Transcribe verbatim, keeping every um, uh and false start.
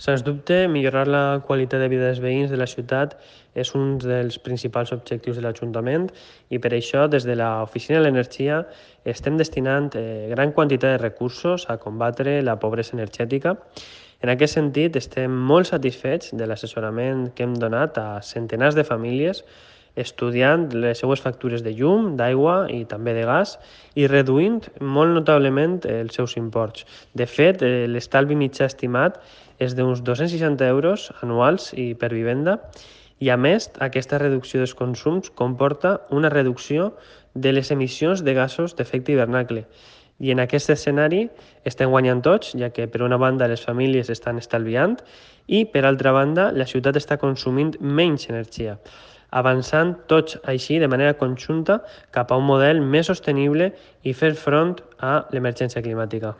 Sens dubte, millorar la qualitat de vida dels veïns de la ciutat és un dels principals objectius de l'Ajuntament i per això des de l'Oficina de l'Energia estem destinant eh, gran quantitat de recursos a combatre la pobresa energètica. En aquest sentit, estem molt satisfets de l'assessorament que hem donat a centenars de famílies estudiant les seues factures de llum, d'aigua i també de gas i reduint molt notablement els seus imports. De fet, eh, l'estalvi mitjà estimat és d'uns dos-cents seixanta euros anuals i per vivenda i a més aquesta reducció dels consums comporta una reducció de les emissions de gasos d'efecte hivernacle. I en aquest escenari estem guanyant tots, ja que per una banda les famílies estan estalviant i per altra banda la ciutat està consumint menys energia, avançant tots així de manera conjunta cap a un model més sostenible i fer front a l'emergència climàtica.